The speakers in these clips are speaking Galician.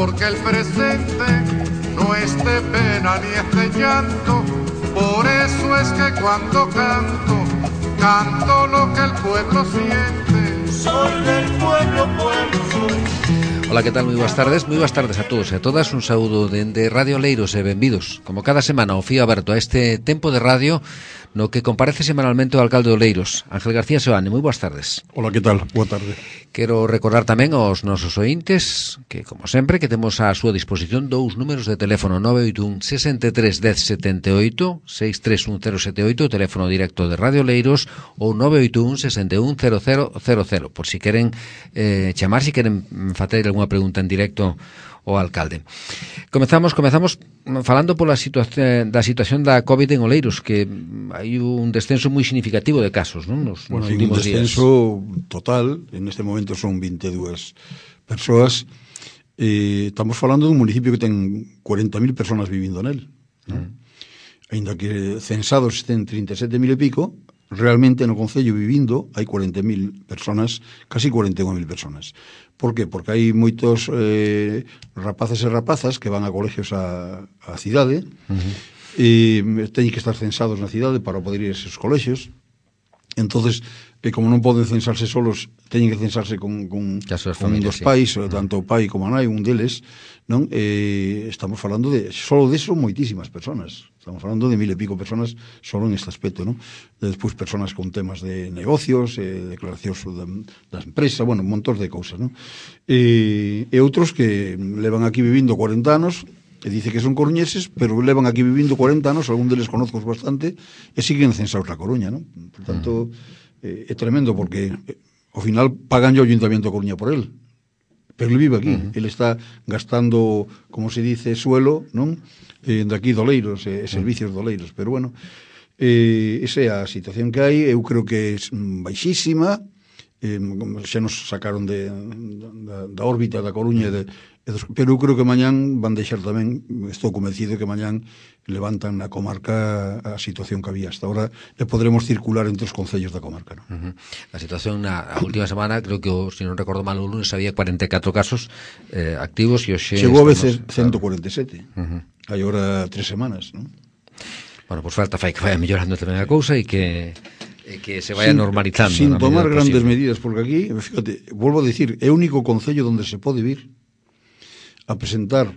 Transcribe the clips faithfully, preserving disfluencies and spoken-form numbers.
porque el presente no es de pena ni es de llanto. Por eso es que cuando canto, canto lo que el pueblo siente. Soy del pueblo, pueblo soy. Ola, que tal? Moi boas tardes, moi boas tardes a todos e a todas. Un saúdo dende Radio Oleiros e benvidos, como cada semana, o fío aberto a este tempo de radio no que comparece semanalmente o alcalde de Oleiros, Ángel García Seoane. Moi boas tardes. Ola, que tal? Boa tarde. Quero recordar tamén aos nosos ointes que, como sempre, que temos á súa disposición dous números de teléfono: nove oito un, sesenta e tres, dez, setenta e oito, seis tres un cero sete oito, teléfono directo de Radio Oleiros, ou nove oito un, sesenta e un, cero cero cero cero, por si queren eh, chamar, si queren facer algunha pregunta en directo ao alcalde. Comezamos, comezamos falando pola situación da situación da COVID en Oleiros, que hai un descenso moi significativo de casos, non? Nos, bueno, nos hai últimos un descenso días. Total, en este momento son vinte e dúas persoas. Eh, estamos falando dun municipio que ten cuarenta mil personas vivindo nel, non? Mm. Ainda que censados estén trinta e sete mil e pico, realmente no concello vivindo hai cuarenta mil personas, casi cuarenta e unha mil personas. Por que? Porque hai moitos eh, rapaces e rapazas que van a colegios a, a cidade, uh-huh. e teñen que estar censados na cidade para poder ir a esos colegios. Entonces, eh, como non poden censarse solos, teñen que censarse con, con, con un dos pais, sí. Tanto o pai como a nai, un deles, non? Eh, estamos falando de, solo de eso, moitísimas personas. Estamos falando de mil e pico personas solo en este aspecto, non? Despois, personas con temas de negocios, eh, declaracións da, da empresa, bueno, un montón de cousas, non? E, e outros que levan aquí vivindo cuarenta anos, e dice que son coruñeses, pero levan aquí vivindo cuarenta anos, algún deles conozco bastante, e siguen censados na Coruña, non? Por tanto, eh, é tremendo, porque eh, ao final pagan o Ayuntamiento de Coruña por él, pero ele vive aquí, uh-huh. Ele está gastando, como se dice, suelo, non? Eh, de aquí doleiros, eh, servicios doleiros, pero bueno, eh, esa é a situación que hai. Eu creo que é baixísima, eh, xa nos sacaron de, da, da órbita da Coruña, de, pero eu creo que mañán van deixar tamén, estou convencido que mañán levantan na comarca a situación que había hasta ahora e podremos circular entre os concellos da comarca, ¿no? Uh-huh. A situación na a última semana, creo que, se si non recordo mal, o lunes había cuarenta e catro casos eh, activos e hoxe chegou a veces ciento cuarenta e sete. Uh-huh. Hai agora tres semanas, ¿no? Bueno, pois pues falta fai que vaya mellorando tamén a cousa e que e que se vaya sin, normalizando. Sin tomar grandes posible. medidas, porque aquí, fíjate, volvo a decir, é o único concello donde se pode vir a presentar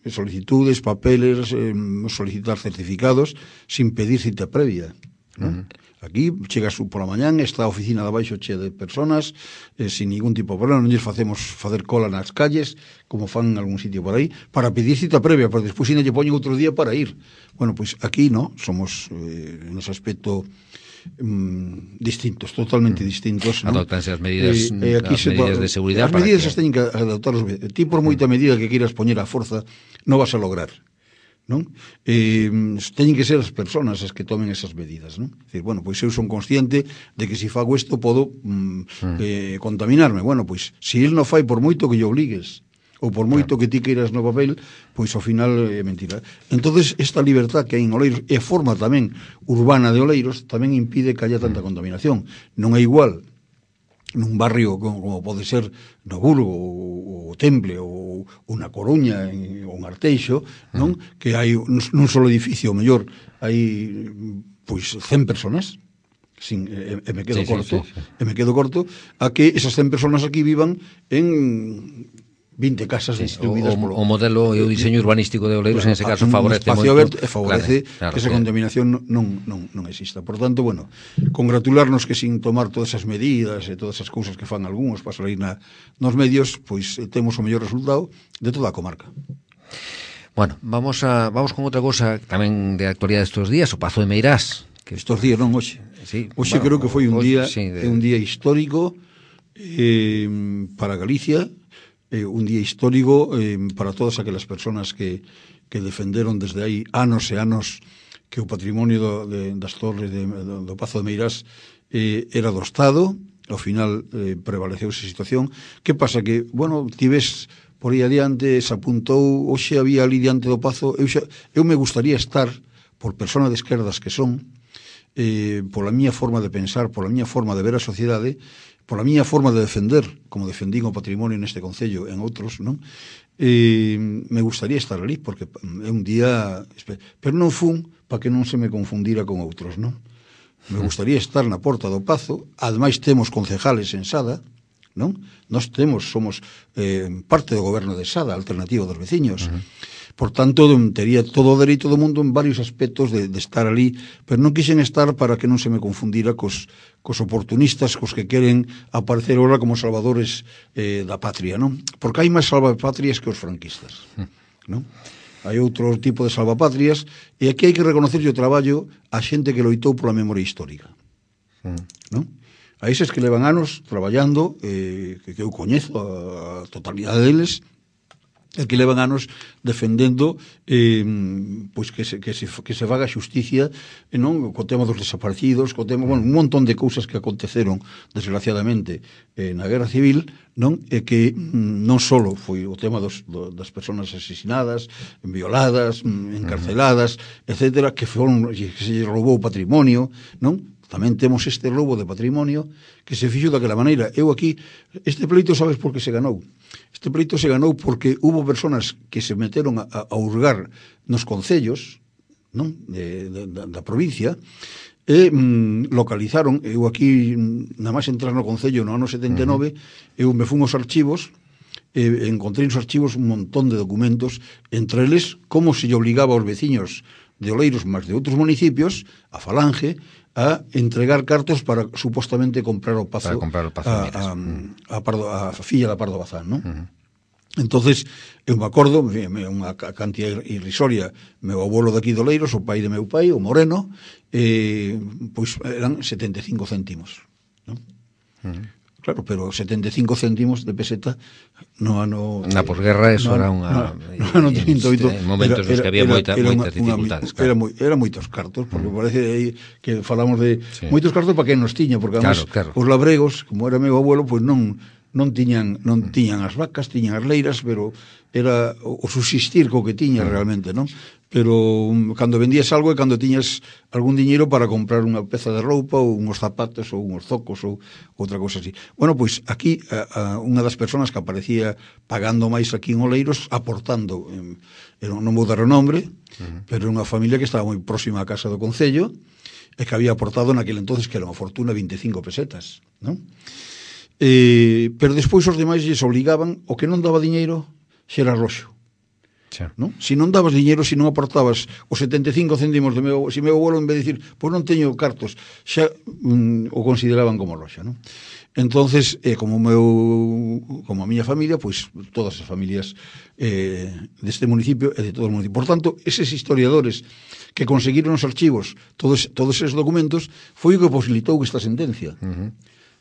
solicitudes, papeles, eh, solicitar certificados sin pedir cita previa, ¿no? Uh-huh. Aquí chegas por la mañán, está a oficina de abaixo chea de personas, eh, sin ningún tipo de problema, non lles facemos facer cola nas calles, como fan en algún sitio por aí, para pedir cita previa, para despois non lle poñen outro día para ir. Bueno, pois pues aquí no, somos eh, en ese aspecto Mm, distintos, totalmente distintos, ¿no? Adoptanse as medidas, eh, aquí as se medidas de seguridade. As medidas que... se teñen que adoptar. Ti por moita medida que queiras poñer a forza non vas a lograr, non? Eh, teñen que ser as persoas as que tomen esas medidas, non? Decir, bueno, pois eu son consciente de que se fago isto podo mm, eh, contaminarme. Bueno, pois se il non fai por moito que lle obligues, ou por moito claro. que ti queiras no papel, pois ao final é mentira. Entonces esta libertad que hai en Oleiros e forma tamén urbana de Oleiros tamén impide que haya tanta contaminación. Non é igual nun barrio como, como pode ser no Burgo ou o Temple ou unha Coruña ou un Arteixo, non? Uh-huh. Que hai nun solo edificio, o mellor hai pois cen personas, sin, e, e me quedo sí, corto, sí, sí, sí. e me quedo corto a que esas cen personas aquí vivan en vinte casas sí, distribuídas o, polo... O modelo e o diseño urbanístico de Oleiros, claro, en ese caso favorece un espacio moito, aberto e favorece claro, claro, que esa claro. contaminación non, non, non exista. Por tanto, bueno, congratularnos que sin tomar todas esas medidas e todas esas cousas que fan algúns para salir na, nos medios, pois temos o mellor resultado de toda a comarca. Bueno, vamos a vamos con outra cousa tamén de actualidade estes días, o Pazo de Meirás. Que estes días non, hoxe. Sí, hoxe bueno, creo que foi un hoxe, día sí, de... un día histórico eh, para Galicia, eh, un día histórico eh, para todas aquelas persoas que, que defenderon desde aí anos e anos que o patrimonio do, de, das torres de, do, do Pazo de Meirás eh, era do Estado. Ao final eh, prevaleceu esa situación. Que pasa? Que, bueno, ti ves por aí adiante, se apuntou, hoxe había ali diante do Pazo, eu, xa, eu me gustaría estar, por persona de esquerdas que son, eh, pola miña forma de pensar, pola miña forma de ver a sociedade, pola miña forma de defender, como defendín o patrimonio neste concello en outros, non? e me gustaría estar ali, porque é un día... Pero non fun para que non se me confundira con outros, non? Me gustaría estar na Porta do Pazo, ademais temos concejales en Sada, non? Nós temos, somos eh, parte do goberno de Sada, alternativo dos veciños. Uh-huh. Por tanto, tería todo o dereito do mundo en varios aspectos de, de estar ali, pero non quixen estar para que non se me confundira cos, cos oportunistas, cos que queren aparecer ahora como salvadores eh, da patria, non? Porque hai máis salvapatrias que os franquistas, non? Hai outro tipo de salvapatrias, e aquí hai que reconocer o traballo a xente que loitou pola memoria histórica, non? A eses que levan anos traballando, eh, que, que eu coñezo a, a totalidade deles, e que levan anos defendendo eh, pois que se, que se, que se faga xusticia, eh, non? Co tema dos desaparecidos, co tema, bueno, un montón de cousas que aconteceron desgraciadamente eh, na Guerra Civil, non? E que mm, non só foi o tema dos, do, das persoas asesinadas, violadas, encarceladas, etcétera, que foron, que se roubou o patrimonio, non? Tamén temos este roubo de patrimonio que se fixo daquela maneira. Eu aquí, este pleito, sabes por que se ganou? Este pleito se ganou porque hubo personas que se meteron a, a hurgar nos concellos, non? De, de, da, da provincia, e mm, localizaron, eu aquí, nada máis entrar no concello no ano setenta e nove, uh-huh. eu me fun aos archivos, e encontrei nos archivos un montón de documentos, entre eles, como se lle obligaba aos veciños de Oleiros, máis de outros municipios, a Falange, a entregar cartos para supostamente comprar o Pazo, para comprar o Pazo a, a, a, Pardo, a filla da Pardo Bazán, non? Uh-huh. Entonces, eu me acordo, unha cantidad irrisoria, meu abuelo daqui de Oleiros, o pai de meu pai, o Moreno, eh, pois eran setenta e cinco céntimos, non? Uh-huh. Claro, pero setenta e cinco céntimos de peseta no ano... Na posguerra eso no, era unha... No, no ano trinta e oito... En momentos nos que había era, moita, era moitas una, dificultades, claro. Era, moi, era moitos cartos, porque mm. parece aí que falamos de... Sí. Moitos cartos para quen nos tiña, porque además claro, claro. Os labregos, como era meu abuelo, pois pues non... non tiñan non tiñan as vacas, tiñan as leiras, pero era o subsistir co que tiña realmente, non? Pero um, cando vendías algo é cando tiñas algún diñeiro para comprar unha peza de roupa ou uns zapatos ou uns zocos ou outra cousa así. Bueno, pois aquí a, a, unha das persoas que aparecía pagando máis aquí en Oleiros, aportando, eh, non vou dar o nombre, uh-huh. pero unha familia que estaba moi próxima á casa do Concello e que había aportado naquele entonces que era unha fortuna vinte e cinco pesetas, non? Eh, pero despois os demais lles obligaban, o que non daba diñeiro xera roxo, non? Si non dabas diñeiro, si non aportabas os setenta e cinco céntimos de meu, si meu abuelo en vez de dicir, pois non teño cartos, xa mm, o consideraban como roxa, non? Entonces, eh, como meu como a miña familia, pois todas as familias eh, deste municipio e de todo o municipio. Por tanto, eses historiadores que conseguiron os archivos todos, todos eses documentos foi o que posibilitou esta sentencia. Uh-huh.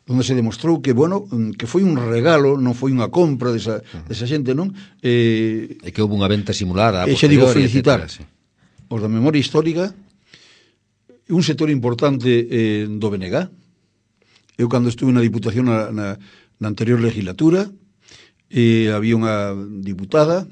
Onde se demostrou que, bueno, que foi un regalo, non foi unha compra desa, desa xente, non? Eh, e que houve unha venta simulada. E xa digo, felicitar etcétera, sí. Os da memoria histórica, un sector importante eh, do B N G. Eu, cando estuve na Diputación na, na, na anterior legislatura, eh, había unha diputada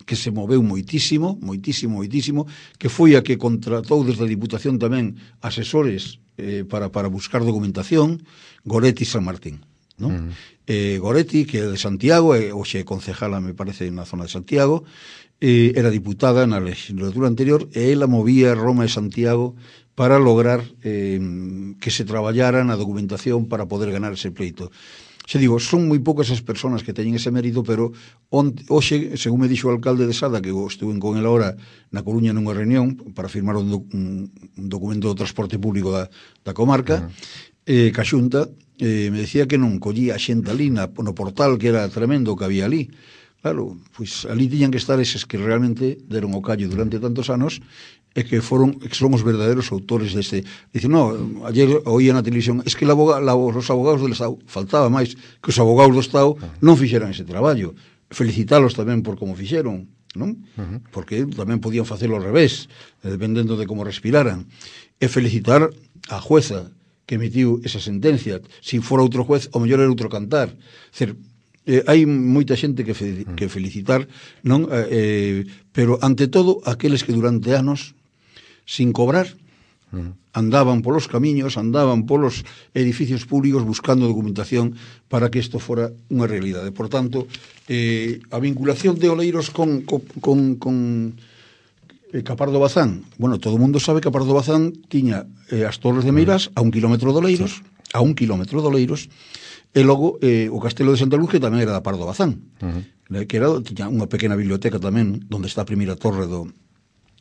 que se moveu moitísimo, moitísimo, moitísimo, que foi a que contratou desde a Diputación tamén asesores eh, para, para buscar documentación, Goretti San Martín, non? Uh-huh. Eh, Goretti, que é de Santiago, e hoxe é concejala, me parece, na zona de Santiago, eh, era diputada na legislatura anterior, e ela movía Roma e Santiago para lograr eh, que se traballara na documentación para poder ganar ese pleito. Xe digo, son moi poucas as persoas que teñen ese mérito, pero onte, hoxe, según me dixo o alcalde de Sada, que eu estuve con ele ahora na Coruña nunha reunión para firmar un, doc, un, un documento do transporte público da, da comarca, uh-huh. eh, ca Xunta, eh, me decía que non collía a xente ali na, no portal, que era tremendo que había ali. Claro, pois ali tiñan que estar eses que realmente deron o callo durante tantos anos e que foron que son os verdaderos autores deste. Dicen, no, ayer oía na televisión, es que la aboga, la, os abogados del Estado, faltaba máis que os abogados do Estado non fixeran ese traballo. Felicitalos tamén por como fixeron, non? Uh-huh. Porque tamén podían facelo ao revés, dependendo de como respiraran. E felicitar a jueza que emitiu esa sentencia. Si fora outro juez, o mellor era outro cantar. Cer, Eh, hai moita xente que, fe, que felicitar, non? Eh, pero ante todo aqueles que durante anos sin cobrar andaban polos camiños, andaban polos edificios públicos buscando documentación para que isto fora unha realidade. Por tanto, eh, a vinculación de Oleiros con, con, con, con eh, Capardo Bazán, bueno, todo o mundo sabe que Capardo Bazán tiña eh, as Torres de Meirás a un kilómetro de Oleiros, sí. a un kilómetro de Oleiros, e logo eh, o Castelo de Santa Luz, que tamén era da Pardo Bazán, uh -huh. que era, tiña unha pequena biblioteca tamén, onde está a primeira torre do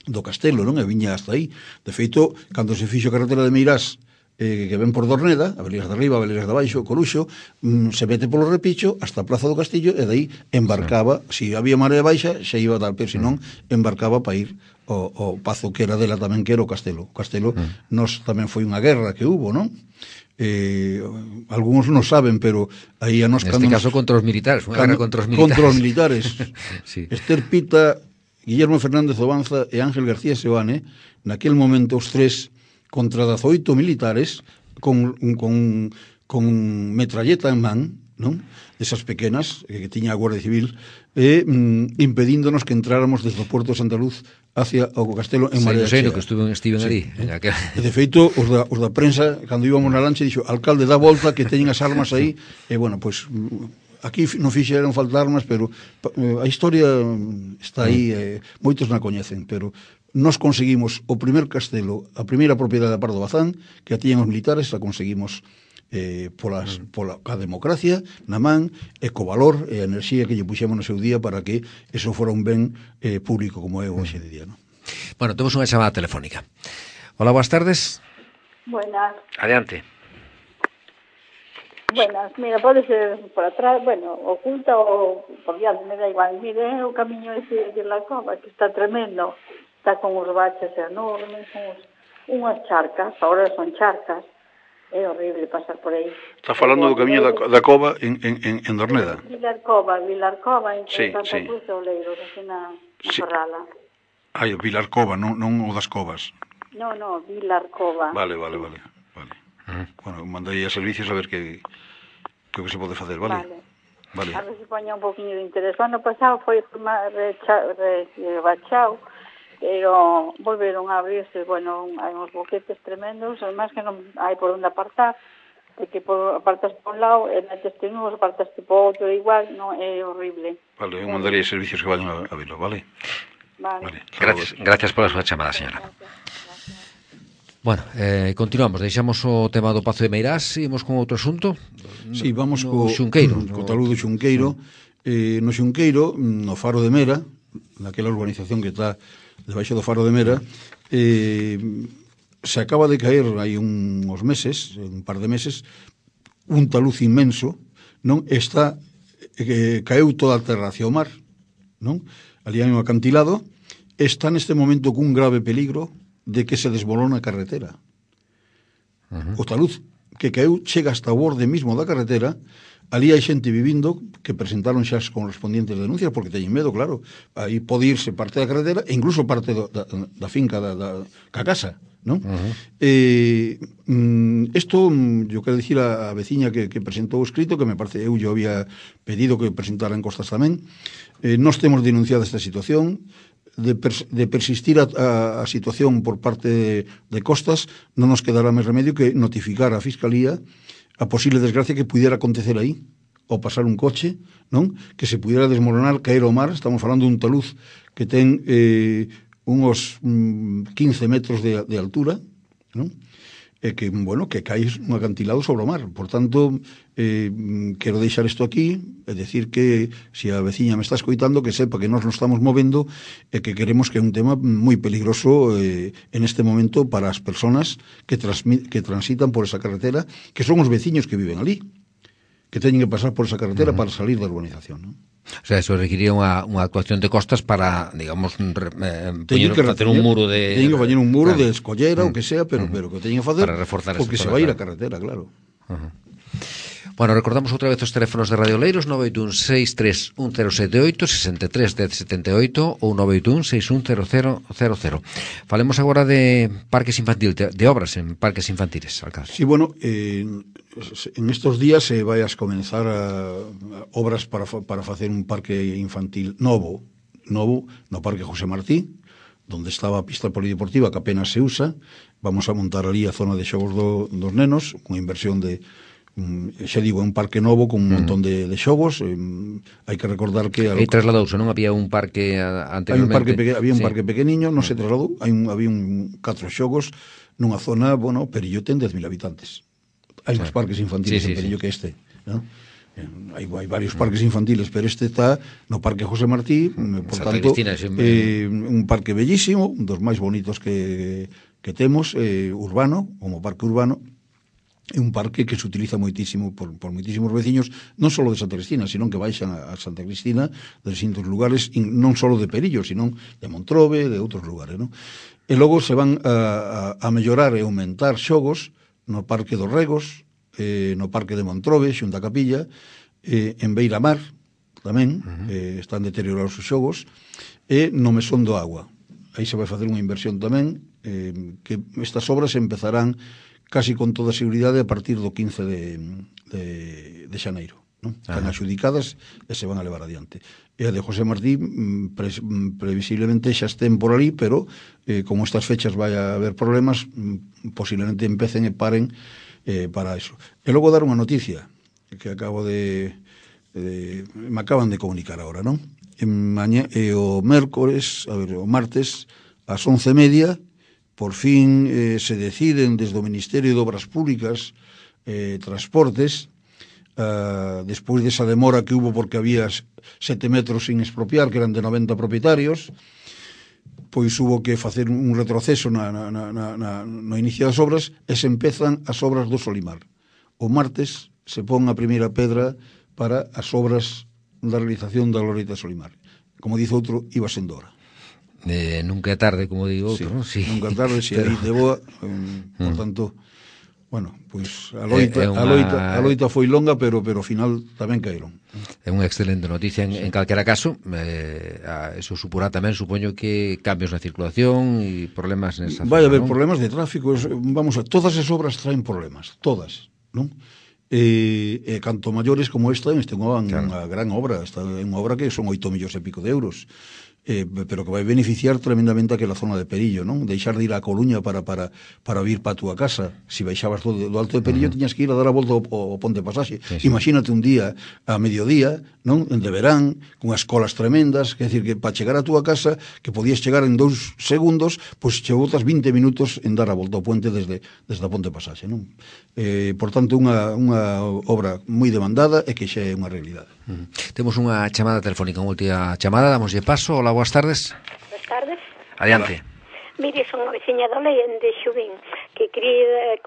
do castelo, non? E viña hasta aí. De feito, cando se fixo a carretera de Meirás, eh, que ven por Dorneda, a Velegas de arriba, a Velegas de abaixo, Coruxo, mm, se mete polo Repicho hasta a Plaza do Castillo, e dai embarcaba, sí. Se si había marea baixa, xa iba a dar, pero senón embarcaba para ir ao, ao pazo que era dela tamén, que era o castelo. O castelo, mm. nos tamén foi unha guerra que hubo, non? Eh, algúns non saben, pero aí a nos... Neste caso nos, contra os militares, unha guerra contra os militares. Contra os militares. Sí. Esther Pita, Guillermo Fernández Obanza e Ángel García Seoane, naquel momento os tres contra dezoito militares con, con, con metralleta en man, non? Desas pequenas que tiña a Guardia Civil, e mm, impedíndonos que entráramos desde o Porto de Santa Luz hacia o castelo en Marea Chea. Que estuven, estiven sí. ali. Aquel... De feito, os da, os da prensa, cando íbamos na lancha, dixo, alcalde, dá volta que teñen as armas aí, e bueno, pois... Pues, aquí non fixeron falta armas, pero a historia está aí, eh, moitos na coñecen, pero nos conseguimos o primer castelo, a primeira propiedade da Pardo Bazán, que a tiñan os militares, a conseguimos eh, polas, pola a democracia na man, e co valor e a enerxía que lle puxemos no seu día para que eso fora un ben eh, público como é hoxe de día, non? Bueno, temos unha chamada telefónica. Hola, boas tardes. Buenas. Adiante. Buenas, mira, pode ser por atrás, bueno, oculta ou por diante, me da igual. Mire, o camiño ese de la Cova, que está tremendo, está con os baches enormes, uns, unhas charcas, ahora son charcas, é horrible pasar por aí. Está falando do camiño da, da Cova en, en, en Dorneda? Vilar Cova, Vilar Cova, en sí, Santa sí. Cruz de Oleiros, así na, na sí. Ferrala. Ai, o Vilar Cova, non, non o das Covas. No, no, Vilar Cova. Vale, vale, vale. vale. Uh-huh. Bueno, mandei a servicios a ver que... que o que se pode facer, vale? Vale. Vale. A ver se poña un poquinho de interés. O ano pasado foi rebachado, pero volveron a abrirse, bueno, hai uns boquetes tremendos, además que non hai por onde apartar, porque por, apartas por un lado, e metes te un, apartas por outro, igual, non é horrible. Vale, eu mandarei servicios que vayan a, a verlo, vale? Vale. vale. Gracias, gracias pola súa chamada, señora. Gracias. Bueno, eh, continuamos, deixamos o tema do Pazo de Meirás, seguimos con outro asunto. Sí, vamos no, co Xunqueiro, co no... talud do Xunqueiro. Eh, no Xunqueiro, no Faro de Mera, naquela urbanización que está debaixo do Faro de Mera, eh, se acaba de caer hai uns meses, un par de meses, un taluz inmenso, non? Está eh, caeu toda a terra hacia o mar, non? Ali hai un acantilado, está neste momento cun grave peligro de que se desbolona a carretera. Uh-huh. O taluz que caeu chega hasta o borde mismo da carretera, ali hai xente vivindo que presentaron xa as correspondientes denuncias porque teñen medo, claro, aí pode irse parte da carretera e incluso parte do, da, da finca da, da ca casa, non? Uh-huh. Eh, mm, esto, yo quero dicir a, a veciña que, que presentou o escrito, que me parece, eu yo había pedido que presentara en Costas tamén, eh, nos temos denunciado esta situación. De, pers de persistir a, a, a situación por parte de, de Costas, non nos quedará máis remedio que notificar a Fiscalía a posible desgracia que pudiera acontecer aí, ou pasar un coche, non? Que se pudiera desmoronar, caer ao mar. Estamos falando dun taluz que ten eh, unos mm, quince metros de, de altura, non? E que, bueno, que caes un acantilado sobre o mar. Por tanto, eh, quero deixar isto aquí, é decir que, se a veciña me está escoitando, que sepa que nós nos estamos movendo e que queremos que é un tema moi peligroso eh, en este momento para as persoas que, que transitan por esa carretera, que son os veciños que viven ali, que teñen que pasar por esa carretera uh-huh. para salir da urbanización, non? O sea, eso requiría unha, unha actuación de Costas para, digamos, eh, poñer, que facer un muro de... Teñen que facer un muro claro. de escollera, uh-huh. o que sea, pero, uh-huh. pero que teñen que facer para reforzar porque se vai ir a carretera, claro. Uh-huh. Bueno, recordamos outra vez os teléfonos de Radio Oleiros, nove oito un seis tres un cero sete oito, sesenta e tres dez setenta e oito ou nove oito un seis un cero cero cero cero. Falemos agora de parques infantiles, de, de obras en parques infantiles, alcalde. Sí, bueno, eh, en estos días se eh, vai a comenzar a, a obras para, para facer un parque infantil novo, novo no Parque José Martí, donde estaba a pista polideportiva, que apenas se usa. Vamos a montar ali a zona de xogos do, dos nenos, con inversión de, um, xa digo, un parque novo con un montón de, de xogos. Um, hai que recordar que... E trasladouse, non había un parque anteriormente? Hai un parque peque, había un sí. parque pequeniño, non se trasladou, hai un, había un catro xogos nunha zona, bueno, Perillo ten dez mil habitantes. Hai máis parques infantiles sí, sí, en Perillo sí. que este, non? Hai, hai varios parques infantiles, pero este está no Parque José Martí, por Santa tanto, Cristina, eh, un parque bellísimo, un dos máis bonitos que, que temos, eh, urbano, como parque urbano, é un parque que se utiliza moitísimo por, por moitísimos veciños, non só de Santa Cristina, sino que baixan a, a Santa Cristina de distintos lugares, non só de Perillo, sino de Montrobe, de outros lugares, non? E logo se van a, a, a mellorar e aumentar xogos no Parque dos Regos, eh, no Parque de Montrobe, xunto a Capilla, eh, en Beiramar, tamén, uh-huh. eh, están deteriorados os xogos, e no Mesón do Agua. Aí se vai facer unha inversión tamén, eh, que estas obras empezarán casi con toda a seguridade a partir do quince de, de, de xaneiro. Non? Están uh-huh. adxudicadas e se van a levar adiante. E a de José Martí pre, previsiblemente xa estén por ali, pero eh, como estas fechas vai a haber problemas, posiblemente empecen e paren eh, para eso. E logo dar unha noticia que acabo de, de me acaban de comunicar ahora, non? En maña, e o mércores, a ver, o martes ás once e media por fin eh, se deciden desde o Ministerio de Obras Públicas eh, Transportes, Uh, despois desa demora que hubo porque había sete metros sin expropiar, que eran de noventa propietarios, pois hubo que facer un retroceso na, na, na, na, no inicio das obras, e se empezan as obras do Solimar. O martes se pon a primeira pedra para as obras da realización da Glorieta Solimar. Como dice outro, iba sendo hora. Eh, nunca é tarde, como digo outro, sí, non? Sí. Nunca é tarde, se pero... aí de boa, um, por tanto... Bueno, pois a loita, é, é unha... a loita, a loita foi longa, pero pero ao final tamén caeron. É unha excelente noticia en, sí. en calquera caso, eh, a, eso supurá tamén, supoño que cambios na circulación e problemas nesa zona. Vai haber ¿no? problemas de tráfico, vamos a, todas as obras traen problemas, todas, non? E, e canto maiores como esta, este é unha, claro. unha gran obra, esta é unha obra que son oito millóns e pico de euros. Eh, pero que vai beneficiar tremendamente aquela zona de Perillo, non? Deixar de ir a Coruña para para para vir para a túa casa. Si baixabas do, do Alto de Perillo, uh-huh. tiñas que ir a dar a volta ao, ao Ponte Pasaxe. Sí, sí. Imagínate un día a mediodía, non? En de verán, con as colas tremendas, que decir que para chegar a túa casa, que podías chegar en dous segundos, pois che botas vinte minutos en dar a volta ao puente desde desde a Ponte Pasaxe, non? Eh, por tanto, unha unha obra moi demandada e que xa é unha realidade. Uh-huh. Temos unha chamada telefónica, unha última chamada, damoslle paso. Hola, boas tardes. Boas tardes. Adiante. Hola. Mire, son a veciña da lei de Xubín, que quería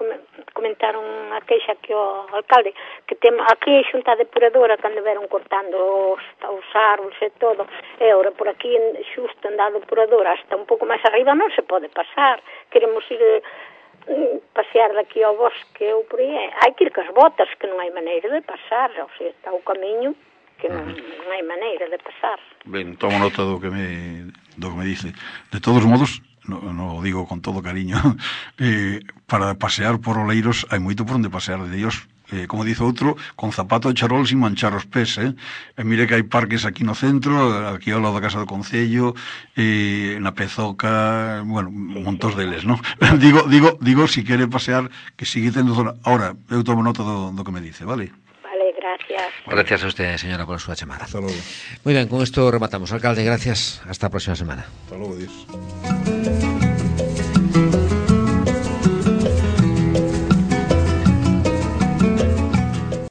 comentar unha queixa que o alcalde, que tem aquí a xunta depuradora cando veron cortando os, os árboles e todo, e ora por aquí xusto en da depuradora hasta un pouco máis arriba non se pode pasar. Queremos ir pasear daqui ao bosque ou por aí, hai que ir cas botas, que non hai maneira de pasar, ou sea, está o camiño que non, non hai maneira de pasar. Ben, tomo nota do que me do que me dice. De todos modos, no, no digo con todo cariño, eh, para pasear por Oleiros hai moito por onde pasear de Dios. Eh, como dice outro, con zapato de charol sin manchar os pés, eh? E mire que hai parques aquí no centro, aquí ao lado da Casa do Concello, eh, na Pezoca, bueno, sí, montos sí. deles, non? digo, digo, digo, si quere pasear, que sigue tendo zona. Ahora, eu tomo nota do, do que me dice, vale? Vale, gracias. Gracias a usted, señora, por a súa chamada. Hasta logo. Muy ben, con isto rematamos. Alcalde, gracias. Hasta a próxima semana. Hasta logo, Dios.